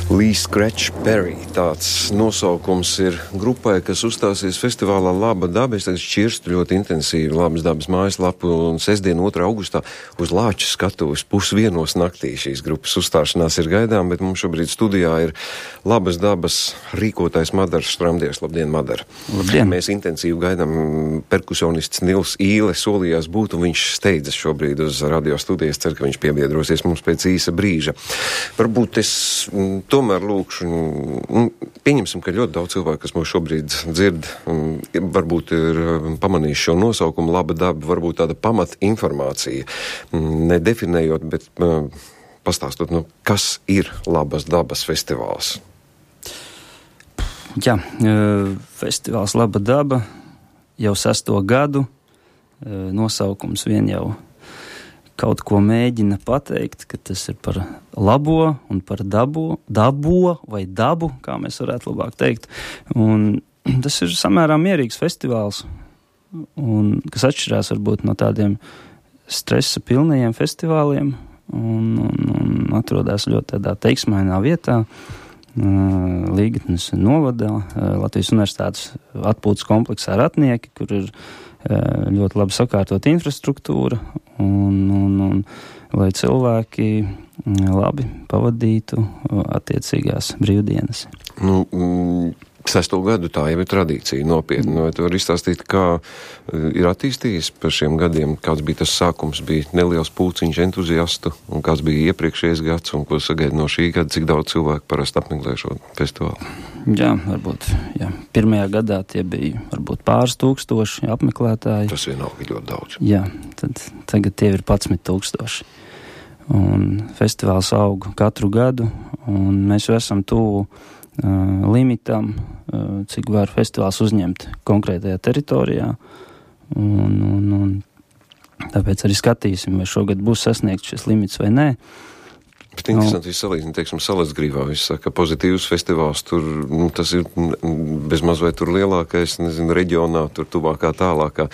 Lee Scratch Perry. Tāds nosaukums ir grupai, kas uzstāsies festivālā Laba daba. Es tagad šķirstu ļoti intensīvi Labas dabas mājaslapu un sestdien 2. augustā uz Lāča skatuves 1:30 naktī šīs grupas uzstāšanās ir gaidām, bet mums šobrīd studijā ir Labas dabas rīkotājs Madars Štramdies. Labdien, Madar! Labdien! Mēs intensīvi gaidām perkusionists Nils Īle solījās būt, un viņš steidzas šobrīd uz radio studijas. Ceru, ka viņš piebiedrosies mums pēc īsa brīža. Varbūt es tomēr lūkšu, pieņemsim, ka ļoti daudz cilvēku, kas mūs šobrīd dzird, varbūt ir pamanījuši šo nosaukumu Laba daba, varbūt tāda pamat informācija, nedefinējot, bet pastāstot, kas ir Labas dabas festivāls? Jā, festivāls Laba daba jau 6. gadu, nosaukums vien jau kaut ko mēģina pateikt, ka tas ir par labo un par dabo vai dabu, kā mēs varētu labāk teikt. Un tas ir samērā mierīgs festivāls, un kas atšķirās varbūt no tādiem stresa pilnajiem festivāliem, un atrodas ļoti tādā teiksmainā vietā, Līgatnes novadā, Latvijas Universitātes atpūtas kompleksā Ratnieki, kur ir ļoti labi sakārtot infrastruktūra, un lai cilvēki labi pavadītu attiecīgās brīvdienas. 6. gadu tā jau ir tradīcija nopietni. Vai tu vari izstāstīt, kā ir attīstījies par šiem gadiem? Kāds bija tas sākums? Bija neliels pulciņš entuziastu, un kāds bija iepriekšējais gads, un ko sagaida no šī gada? Cik daudz cilvēku parasti apmeklē šo festivālu? Jā, varbūt. Jā. Pirmajā gadā tie bija varbūt pāris tūkstoši apmeklētāji. Tas vienalga ļoti daudz. Jā, tad tagad tie ir 11,000. Un festivāls aug katru gadu, un mēs jau esam tuvu limitam, cik var festivāls uzņemt konkrētajā teritorijā, un tāpēc arī skatīsim, vai šogad būs sasniegts šis limits vai nē. Bet interesanti salīdzināt, teiksim, Salacgrīvā, viņš saka, pozitīvs festivāls, tur, tas ir bezmaz vai tur lielākais, reģionā, tur tuvākā, tālākā,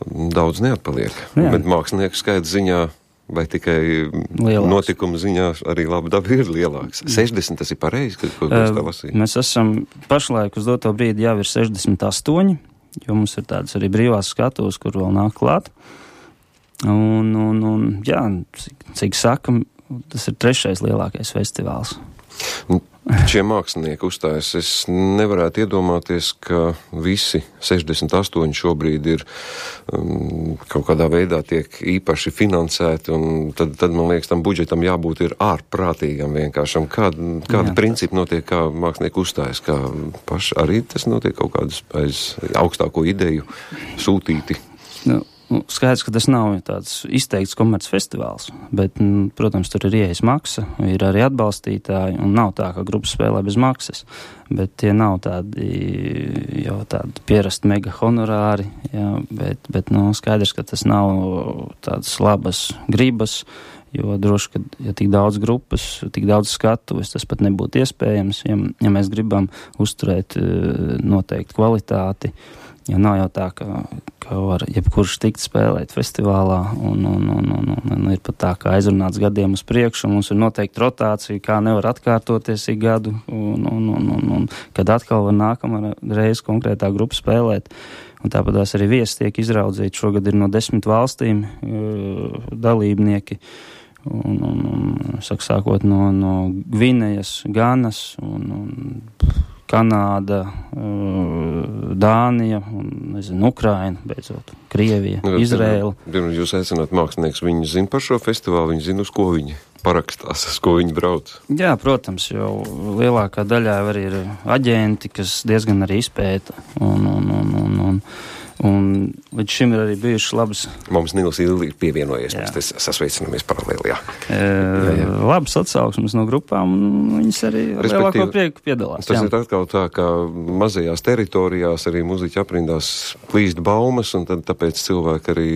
daudz neatpaliek. Jā. Bet mākslinieku skaits ziņā vai tikai lielāks. Notikuma ziņā arī Laba daba ir lielāks. 60 tas ir pareizi, ko es tā lasīju? Mēs esam pašlaik uz doto brīdi jau ir 68, jo mums ir tādas arī brīvās skatuves, kur vēl nāk klāt. Un jā, cik sakam, tas ir 3. lielākais festivāls. Šie mākslinieki uzstājas. Es nevarētu iedomāties, ka visi 68 šobrīd ir kaut kādā veidā tiek īpaši finansēti, un tad man liekas, tam budžetam jābūt ir ārprātīgam vienkāršam. Kāda principi notiek, kā mākslinieki uzstājas, kā paši arī tas notiek kaut kādus aiz augstāko ideju sūtīti? Skaidrs, ka tas nav tāds izteikts komerc festivāls, bet, protams, tur ir ieejas maksa, ir arī atbalstītāji, un nav tā, ka grupa spēlē bez maksas, bet tie nav tādi pierasti mega honorāri, jā, bet skaidrs, ka tas nav tādas labas gribas, jo droši, ka ja tik daudz grupas, tik daudz skatuves, tas pat nebūtu iespējams, ja mēs gribam uzturēt noteikti kvalitāti. Jo nav jau tā, ka var jebkurš tikt spēlēt festivālā, un ir pat tā, ka aizrunāts gadiem uz priekšu, un mums ir noteikti rotācija, kā nevar atkārtoties ik gadu, un kad atkal var nākamā reize konkrētā grupa spēlēt. Un tāpatās arī viesi tiek izraudzīti. Šogad ir no 10 valstīm dalībnieki, sākot no Gvinejas, Ganas, un Kanāda, Dānija, Ukraina, beidzot, Krievija, Izraela. Jūs aicināt mākslinieks, viņi zina par šo festivālu, viņi zina, uz ko viņi parakstās, uz ko viņi brauc? Jā, protams, jo lielākā daļā arī ir aģenti, kas diezgan arī izpēta, un līdz šim ir arī bijušas labas. Mums Nils Illi ir pievienojies, mēs te sasveicinamies paralēli, jā. Labas atsauksmes no grupām, un viņas arī lielāko prieku piedalās. Tas ir atkal tā, ka mazajās teritorijās arī muziķi aprindās plīst baumas, un tad tāpēc cilvēki arī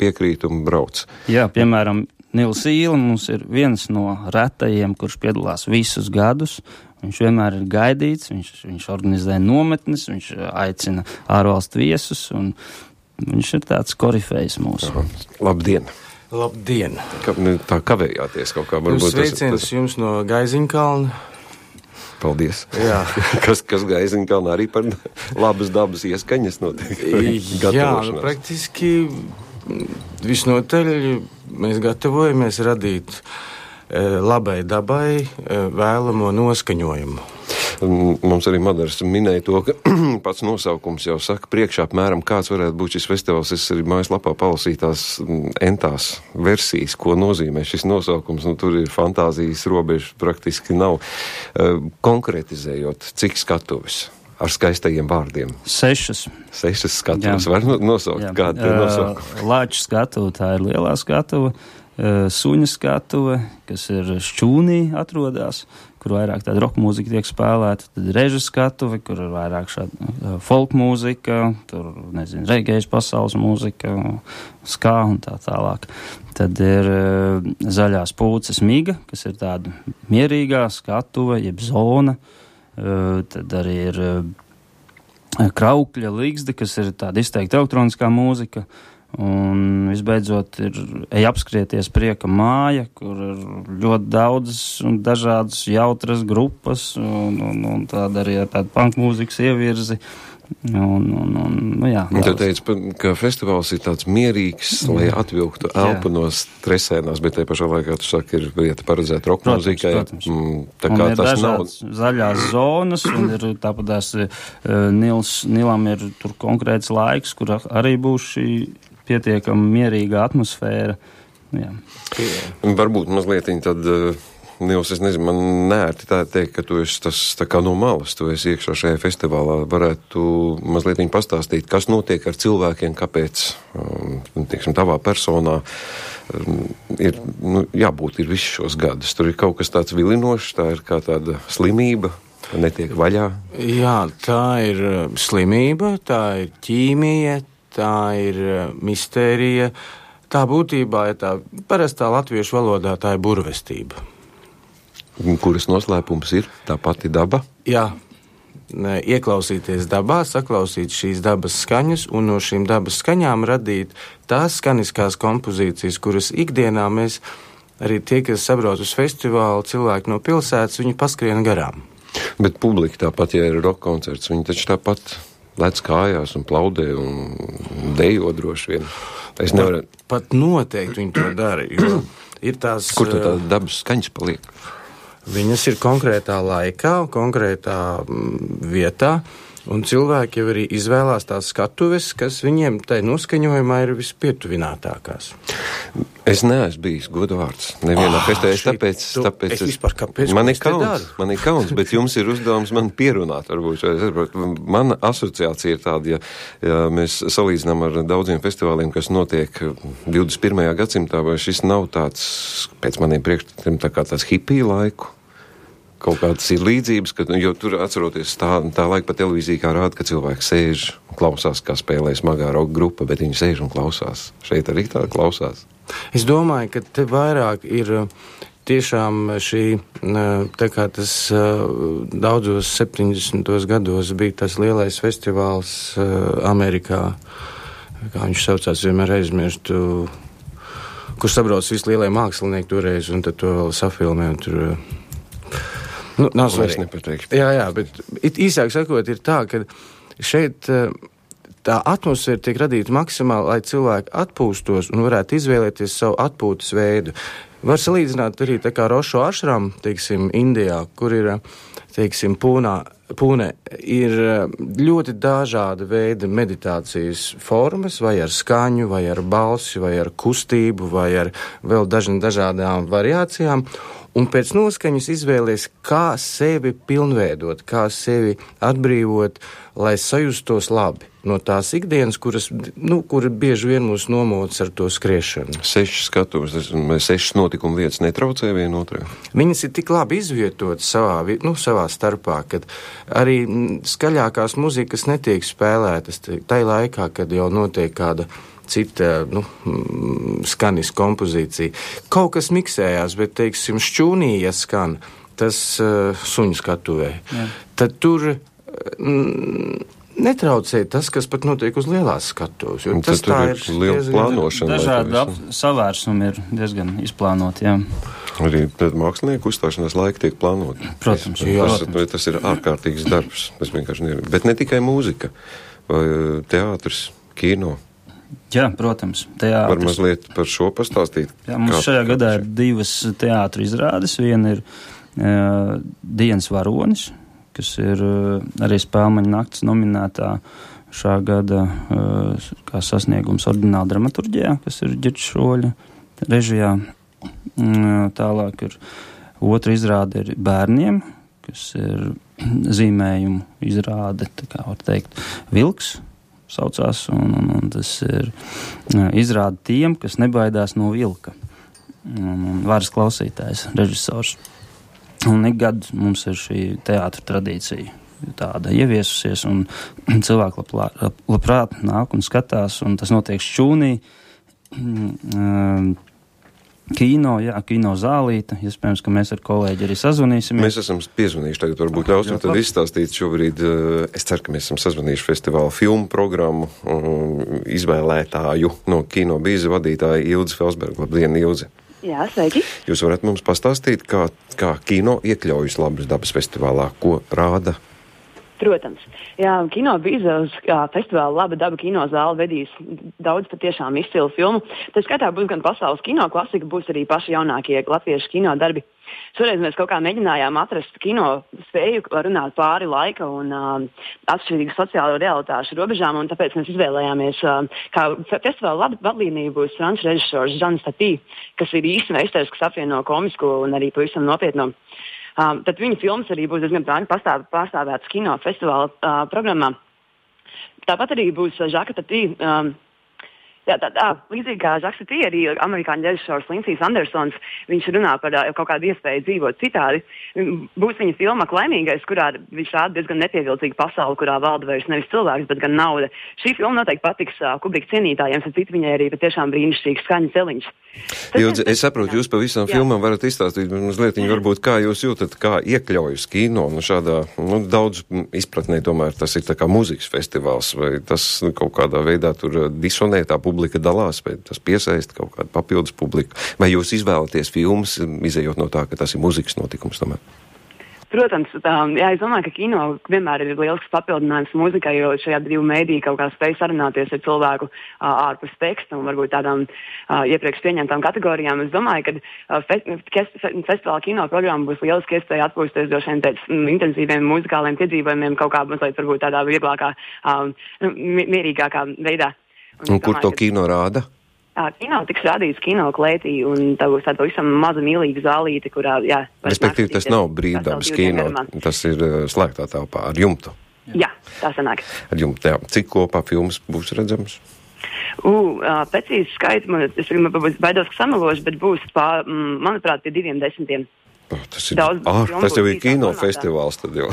piekrīt un brauc. Jā, piemēram, Nils Īle mums ir viens no retajiem, kurš piedalās visus gadus. Viņš vienmēr ir gaidīts, viņš organizē nometnes, viņš aicina ārvalstu viesus, un viņš ir tāds korifejs mūsu. Labdien! Labdien! Tā kavējāties kaut kā. Varbūt Sveiciens jums no Gaiziņkalna. Paldies. Jā. kas Gaiziņkalnā arī par labas dabas ieskaņas notiek? Jā, praktiski visnotaļ mēs gatavojamies radīt labai dabai vēlamo noskaņojumu. Mums arī Madars minēja to, ka pats nosaukums jau saka priekšā apmēram, kāds varētu būt šis festivāls. Es arī mājaslapā palasīju tās entās versijas, ko nozīmē šis nosaukums. Tur ir fantāzijas robežas praktiski nav. Konkretizējot, cik skatuves ar skaistajiem vārdiem? 6. 6 skatuves. Var nosaukt, kāda ir nosaukuma? Lāču skatuve, tā ir lielā skatuve. Suņa skatuve, kas ir Šķūnī atrodas, kur vairāk tāda roka mūzika tiek spēlēta, tad reža skatuve, kur ir vairāk šāda folk mūzika, tur, nezinu, regējas pasaules mūzika, skā un tā tālāk. Tad ir zaļās pūces miga, kas ir tāda mierīgā skatuve, jeb zona. Tad arī ir kraukļa līgzde, kas ir tāda izteikta elektroniskā mūzika. Un visbeidzot ir apskrieties prieka māja, kur ir ļoti daudzas un dažādas jautras grupas un tāda arī ar tādu punk mūzikas ievirzi. Jā. Tu teici, ka festivāls ir tāds mierīgs, lai atvilktu elpu no stresēnās, bet te pašā laikā tu saki, ir vieta paredzēta roka mūzikai. Tā kā tas nav zaļās zonas, un ir tāpatās Nilam ir tur konkrēts laiks, kur arī būs šī pietiekami mierīga atmosfēra. Jā. Varbūt mazliet tad, Nils, es nezinu, man nērti tā teikt, ka tu esi tas tā kā no malas, tu esi iekšā šajā festivālā. Varētu mazliet pastāstīt, kas notiek ar cilvēkiem, kāpēc, tieksim, tavā personā ir, jābūt ir visus šos gadus. Tur ir kaut kas tāds vilinošs, tā ir kā tāda slimība, netiek vaļā. Jā, tā ir slimība, tā ir ķīmija, tā ir mistērija. Tā būtībā ir tā parastā latviešu valodā, tā ir burvestība. Kuras noslēpums ir tā pati daba? Jā, ieklausīties dabā, saklausīt šīs dabas skaņas un no šīm dabas skaņām radīt tās skaniskās kompozīcijas, kuras ikdienā mēs, arī tie, kas sabrauc uz festivālu, cilvēki no pilsētas, viņi paskrien garām. Bet publika tāpat, ja ir rock koncerts, viņi taču tāpat lec kājās un plaudē un dejo droši vien. Es nevaru... Pat noteikti viņi to dara, jo ir tās... Kur tad tāda dabas skaņas paliek? Viņas ir konkrētā laikā, konkrētā vietā, un cilvēki jau arī izvēlās tās skatuves, kas viņiem tai noskaņojumā ir vispietuvinātākās. Es neesmu bijis godvārds nevienā festē, tāpēc es vispār kāpēc? Man ir kauns, bet jums ir uzdevums man pierunāt, varbūt. Mana asociācija ir tāda, ja mēs salīdzinām ar daudziem festivāliem, kas notiek 21. gadsimtā, vai šis nav tāds, pēc maniem priekšstatiem, tā kā tāds hipiju laiku. Kaut kādas ir līdzības, jo tur atceroties tā laika pa televīziju, kā rāda, ka cilvēki sēž un klausās, kā spēlē smagā roka grupa, bet viņi sēž un klausās. Šeit arī tā klausās. Es domāju, ka te vairāk ir tiešām šī, tā kā tas daudzos 70. gados bija tas lielais festivāls Amerikā, kā viņš saucās, vienmēr aizmirstu, kur sabrauc visi lielie mākslinieki toreiz, un tad to vēl safilmē, un tur... nav svarīgi. Jā, bet īsāk sakot ir tā, ka šeit tā atmosfēra tiek radīta maksimāli, lai cilvēki atpūstos un varētu izvēlēties savu atpūtas veidu. Var salīdzināt arī tā kā Rošo ašram, teiksim, Indijā, kur ir, teiksim, Pūne ir ļoti dažāda veida meditācijas formas, vai ar skaņu, vai ar balsi, vai ar kustību, vai ar vēl dažādām variācijām. Un pēc noskaņas izvēlies, kā sevi pilnveidot, kā sevi atbrīvot, lai sajustos labi no tās ikdienas, kura bieži vien mūs nomoc ar to skriešanu. 6 skatuves, 6 notikumu vietas netraucē vienotrai? Viņas ir tik labi izvietotas savā starpā, kad arī skaļākās muzikas netiek spēlētas tai laikā, kad jau notiek kāda cita, skanis kompozīcija. Kaut kas miksējās, bet, teiksim, Šķūnī, ja skan, tas suņu skatuvē. Jā. Tad tur netraucē tas, kas pat notiek uz lielās skatuves. Tas tā ir liela plānošana. Dažādi savērsumi ir diezgan izplānoti, jā. Arī mākslinieku uzstāšanās laika tiek plānot. Protams. Tas ir ārkārtīgs darbs. Tas vienkārši ir. Bet ne tikai mūzika, vai teātris, kino. Jā, protams. Teātris. Var mazliet par šo pastāstīt? Jā, mums šajā gadā ir 2 teātra izrādes. Viena ir Dienas varonis, kas ir arī Spēlmaņa nakts nominētā šā gada kā sasniegums ordināla dramaturģijā, kas ir Ģirģa Šoļa režijā. Tālāk ir otra izrāde ir bērniem, kas ir zīmējumu izrāde, tā kā var teikt, Vilks saucās, un tas ir izrāde tiem, kas nebaidās no vilka. Un varas klausītājs, režisors. Un ik gadu mums ir šī teātra tradīcija tāda ieviesusies, un cilvēki labprāt nāk un skatās, un tas notiek šķūnī. Kino zālīte. Iespējams, ka mēs ar kolēģi arī sazvanīsimies. Mēs esam piezvanījuši, tagad varbūt ļausim tad izstāstīt šobrīd. Es ceru, ka mēs esam sazvanījuši festivāla filmu programmu izvēlētāju no Kino bīza vadītāja Ilze Felsberga. Labdien, Ilze! Jā, sveiki! Jūs varat mums pastāstīt, kā kino iekļaujas Labas dabas festivālā, ko rāda? Protams. Jā, Kino bīza uz festivāla Laba daba kino zāle vedīs daudz patiešām izcilu filmu. Tā skaitā būs gan pasaules kino klasika, būs arī paši jaunākie latviešu kino darbi. Šoreiz mēs kaut kā mēģinājām atrast kino spēju runāt pāri laika un atšķirīgu sociālo realitāšu robežām, un tāpēc mēs izvēlējāmies, kā festivāla vadlīnija būs franču režisors Žans Tatī, kas ir īsti meistars, kas apvieno komisko un arī pavisam nopietno. Tad viņa filmas arī būs diezgan pārstāvētas kino festivāla programmā. Tāpat arī būs Žaka Tatī. Līdzīgi kā Žaks Tatī, arī amerikāņu režisors Lindsijs Andersons, viņš runā par kaut kādu iespēju dzīvot citādi. Būs viņa filma Laimīgais, kurā viņš rāda diezgan nepievilcīgu pasauli, kurā valda vairs nevis cilvēks, bet gan nauda. Šī filma noteikti patiks Kubrika cienītājiem, un citu viņai arī patiešām brīnišķīgs skaņu celiņš. Ilze, es saprotu, jūs pa visām filmām varat izstāstīt mazliet, varbūt kā jūs jūtat, kā iekļaujas kino, šādā, daudz izpratnē tomēr tas ir tā kā mūzikas festivāls, vai tas kaut kādā veidā tur disonē, tā publika dalās, vai tas piesaista kaut kādu papildus publiku, vai jūs izvēlaties filmas, izējot no tā, ka tas ir mūzikas notikums tomēr? Protams, es domāju, ka kino vienmēr ir lielisks papildinājums mūzikai, jo šajā divu mēdīju kaut kā spēj sarunāties ar cilvēku ārpus teksta un varbūt tādām iepriekš pieņemtām kategorijām. Es domāju, ka festivāla kino programma būs lieliski iespēja atpūsties droši vien pēc intensīviem muzikāliem piedzīvojumiem kaut kā mazliet varbūt tādā vieglākā, mierīgākā veidā. Un kur to kino rāda? Kino tiks rādīts kino klētī, un tā būs tāda visam maza mīlīga zālīte, kurā, respektīvi, tas nav brīvdabas kino, tas ir slēgtā telpā ar jumtu. Jā, tā sanāk. Ar jumtu, jā. Cik kopā filmas būs redzams? Precīzi skaits, es baidos, ka samelošu, bet būs, manuprāt, pie 210. Tas ir tas jau ir kino festivāls tad jau.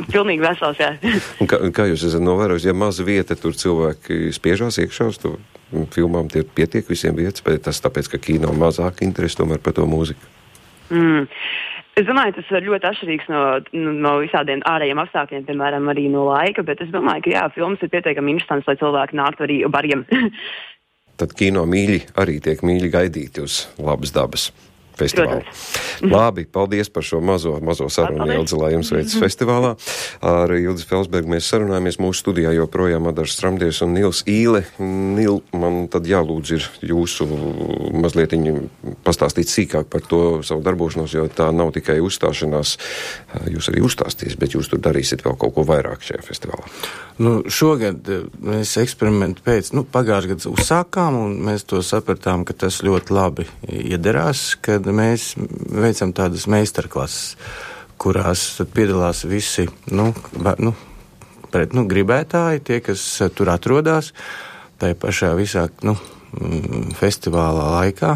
Pilnīgi vesels, jā. Un kā jūs esat novērojuši, ja maza vieta, tur cilvēki spiežās iekšā uz to filmām, tie pietiek visiem vietas, bet tas tāpēc, ka kino mazāk interesi tomēr par to mūziku? Es domāju, tas ir ļoti atšķirīgs no visādiem ārējiem apstākļiem, piemēram, arī no laika, bet es domāju, ka filmas ir pietiekami interesants, lai cilvēki nāktu arī bariem. Tad kino mīļi arī tiek mīļi gaidīti uz Labas dabas festivālu. Labi, paldies par šo mazo sarunu, Ilze, lai jums veicas festivālā. Ar Ilzi Felsbergu mēs sarunājamies mūsu studijā joprojām Adars Stramdies un Nils Īle. Nil, man tad jālūdz ir jūsu mazlietiņu pastāstīt sīkāk par to savu darbošanos, jo tā nav tikai uzstāšanās. Jūs arī uzstāsties, bet jūs tur darīsiet vēl kaut ko vairāk šajā festivālā. Šogad mēs eksperimentu pagājušajā gadā uzsākām, un mēs to sapratām, ka tas ļoti labi iederās, kad mēs veicam tādas meistarklases, kurās piedalās visi gribētāji, tie, kas tur atrodas, tai pašā visā festivālā laikā.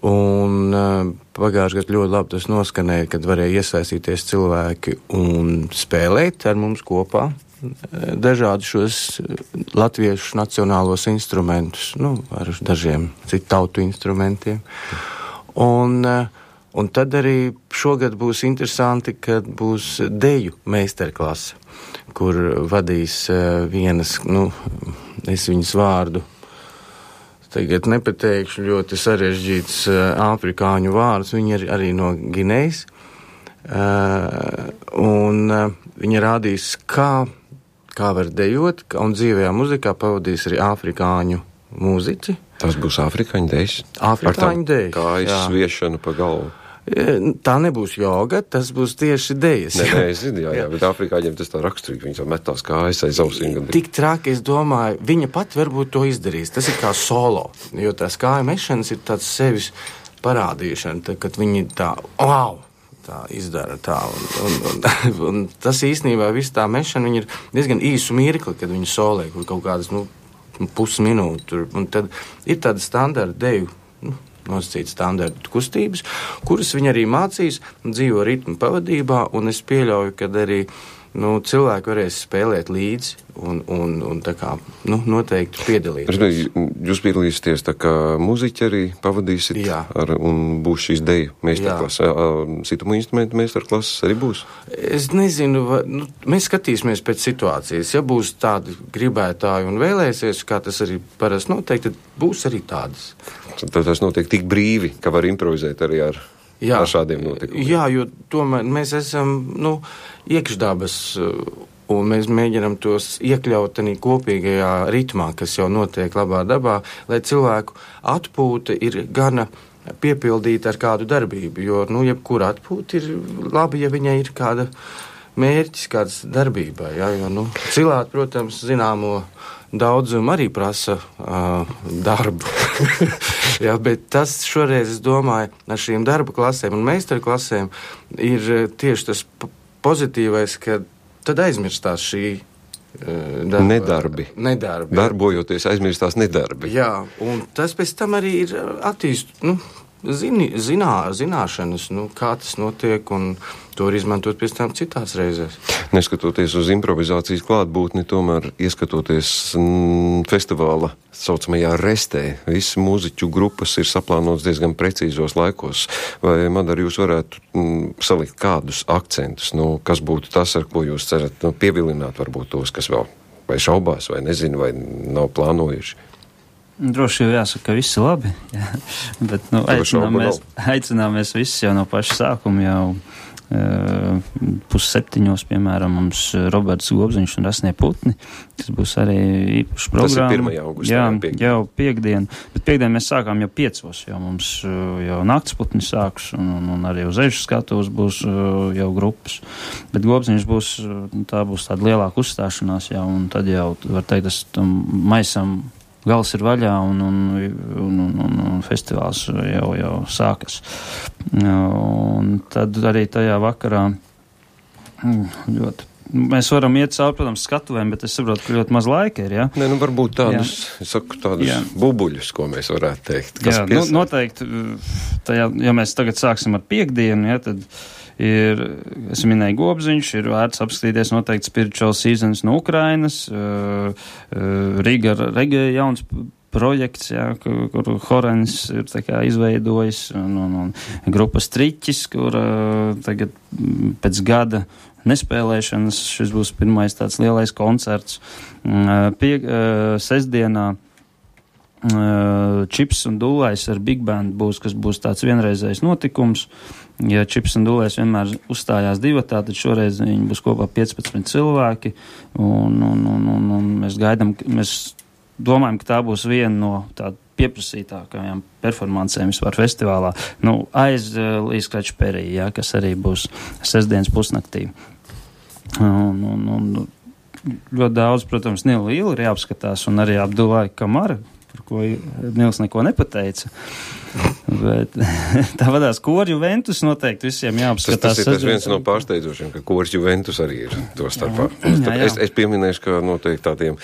Un pagājušajā gadā ļoti labi tas noskanēja, kad varēja iesaistīties cilvēki un spēlēt ar mums kopā dažādi šos latviešu nacionālos instrumentus, ar dažiem citu tautu instrumentiem. Un tad arī šogad būs interesanti, kad būs deju meistarklase, kur vadīs vienas, es viņas vārdu tagad nepateikšu, ļoti sarežģīts afrikāņu vārds, viņi ir arī no Ginejas, un viņi rādīs, kā var dejot, un dzīvajā muzikā pavadīs arī afrikāņu mūziķi. Tas būs afrikāņu dejas? Afrikāņu dejas, kājas sviešana pa galvu. Tā nebūs joga, tas būs tieši dejas. Nē, es zinu, jā, bet afrikāņiem tas tā raksturīgi, viņi tā metās kājas aiz ausīm. Tik traki, es domāju, viņa pat varbūt to izdarīs. Tas ir kā solo, jo tās kāja mešanas ir tāds sevis parādīšana, kad viņi tā, wow! Tā izdara tā, un tas īstenībā viss tā mešana, viņi ir diezgan īsu mirkli, kad viņi solē, kur kaut kādas, pusminūtu, un tad ir tāda standarta deju, nosacīta standarta kustības, kuras viņi arī mācīs, dzīvo ritmu pavadībā, un es pieļauju, ka arī, cilvēki varēs spēlēt līdzi, un tā kā, noteikti piedalīties. Jūs piedalīsieties tā kā muziķi arī pavadīsit, un būs šīs deju meistarklases, situmu instrumentu meistarklases arī būs? Es nezinu, mēs skatīsimies pēc situācijas. Ja būs tādi gribētāji un vēlēsies, kā tas arī parasti notiek, tad būs arī tādas. Tad tas notiek tik brīvi, ka var improvizēt arī ar šādiem notikumiem. Jā, jo tomēr mēs esam, iekšdabas, un mēs mēģinam tos iekļaut arī kopīgajā ritmā, kas jau notiek labā dabā, lai cilvēku atpūta ir gana piepildīta ar kādu darbību, jo, jebkura atpūta ir labi, ja viņai ir kāda mērķis, kāds darbībai, jo, cilāt, protams, zināmo daudzumu arī prasa darbu. Bet tas šoreiz, es domāju, ar šīm darba klasēm un meistaru klasēm ir tieši tas pozitīvais, ka tad aizmirstās šī nedarbi. Darbojoties aizmirstās nedarbi. Jā, un tas pēc tam arī ir zināšanas, kā tas notiek, un to var izmantot pēc tam citās reizēs. Neskatoties uz improvizācijas klātbūtni, tomēr ieskatoties festivāla saucamajā restē, visas mūziķu grupas ir saplānotas diezgan precīzos laikos. Vai, Madara, jūs varētu salikt kādus akcentus, kas būtu tas, ar ko jūs cerat pievilināt varbūt tos, kas vēl vai šaubās, vai nezinu, vai nav plānojuši? Droši jau jāsaka, ka viss ir labi, bet aicināmies visus jau no paša sākuma, jau 6:30, piemēram, mums Roberts Gobziņš un Rasnie Putni, kas būs arī īpaša programma. Tas ir 1. augustā. Jā, jau piekdien, bet piekdien mēs sākām jau 5:00, jau mums jau naktsputni sāks, un arī uz ežu skatuves būs jau grupas, bet Gobziņš būs, tā būs tāda lielāka uzstāšanās, jau, un tad jau, var teikt, tas tam maisam gals ir vaļā, un festivāls jau sākas. Un tad arī tajā vakarā ļoti. Mēs varam iet cauri, protams, skatuvēm, bet es saprotu, ka ļoti maz laika ir, Nē, varbūt tādus, bubuļus, ko mēs varētu teikt. Noteikti, ja mēs tagad sāksim ar piekdienu, tad es minēju Gobziņš, ir vērts apskatīties noteikti Spiritual Seasons no Ukrainas, Riga Reggae jauns projekts, kur Horens ir tā kā izveidojis, un grupa Striķis, kur tagad pēc gada nespēlēšanas šis būs pirmais tāds lielais koncerts. Sestdienā Čips un Dūlais ar Big Band kas būs tāds vienreizējs notikums. Ja Čips un Dūlais vienmēr uzstājās divatā, tad šoreiz viņi būs kopā 15 cilvēki, un mēs gaidām, mēs domājam, ka tā būs viena no tāda pieprasītākajām performancēm vispār festivālā. Aiz Līskrača Perija, kas arī būs sestdienas pusnaktī. Un ļoti daudz, protams, Nila Ila ir jāapskatās, un arī Abdulai Kamara, par ko Nils neko nepateica. Bet tā vadās Kori Juventus noteikti visiem jāapskatās. Tas ir viens no pārsteidzošiem, ka Kori Juventus arī ir to starpā. Es pieminēšu, ka noteikti tādiem,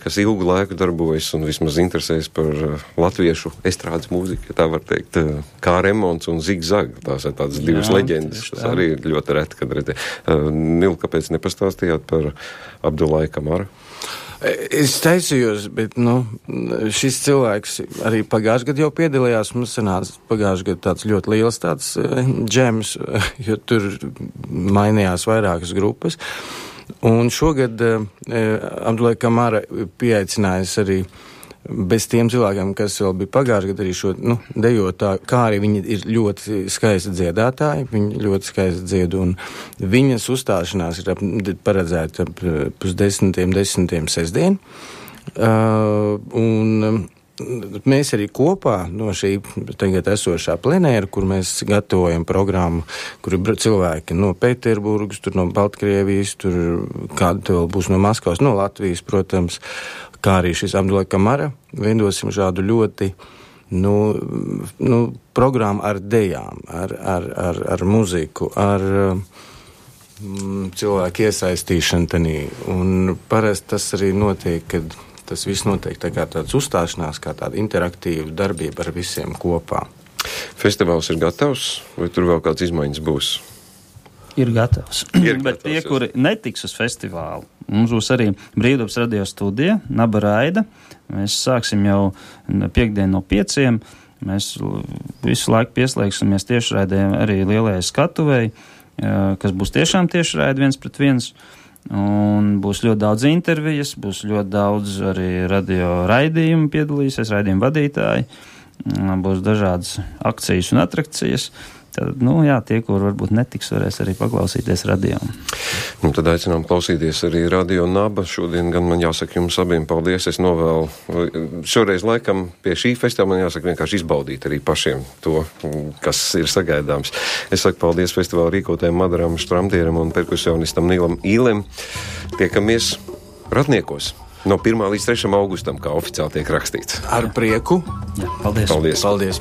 kas ilgu laiku darbojas un vismaz interesēs par latviešu estrādes mūziku, tā var teikt, kā Remons un Zigzag. Tās ir tādas divas leģendas. Tas arī ir ļoti reti, kad redzē. Nil, kāpēc nepastāstījāt par Abdulai Kamaru? Es taisījos, bet, šis cilvēks arī pagājušajā gadā jau piedalījās. Mums sanāca pagājušajā gadā tāds ļoti liels tāds džems, jo tur mainījās vairākas grupas. Un šogad Abdulai Kamara pieaicinājis arī bez tiem cilvēkiem, kas vēl bija pagājuši gadu arī šo dejotāju, kā arī viņi ir ļoti skaisti dziedātāji, viņi ļoti skaisti dzied, un viņas uzstāšanās ir paredzēta ap 10. sestdien. Un mēs arī kopā no šī tagad esošā plenēra, kur mēs gatavojam programmu, kur ir cilvēki no Pēterburgas, tur no Baltkrievijas, tur kādi vēl būs no Maskavas, no Latvijas, protams, kā arī šis Abdulai Kamara, veidosim šādu ļoti, programmu ar dejām, ar muziku, ar cilvēku iesaistīšanu tenī. Un parasti tas arī notiek, kad tas viss notiek tā kā tāds uzstāšanās, kā tāda interaktīva darbība ar visiem kopā. Festivāls ir gatavs, vai tur vēl kāds izmaiņas būs? Ir gatavs. Bet tie, kuri netiks uz festivālu, mums būs arī Brīvdabas radio studija, Naba Raida. Mēs sāksim jau piekdien no 5. Mēs visu laiku pieslēgsimies tiešraidē arī lielajai skatuvei, kas būs tiešām tiešraidi 1-1. Un būs ļoti daudz intervijas, būs ļoti daudz arī radio raidījumu piedalīsies, raidījumu vadītāji, būs dažādas akcijas un atrakcijas. Tad, tie, kur varbūt netiks, varēs arī paklausīties radio. Tad aicinām klausīties arī Radio Naba. Šodien gan man jāsaka jums abiem paldies. Es novēlu šoreiz laikam pie šī festivāla man jāsaka vienkārši izbaudīt arī pašiem to, kas ir sagaidāms. Es saku paldies festivāla rīkotājiem Madaram Štramtieram un perkusionistam Nīlam Īlem. Tiekamies Ratniekos no 1. līdz 3. augustam, kā oficiāli tiek rakstīts. Ar prieku. Jā, paldies. Paldies.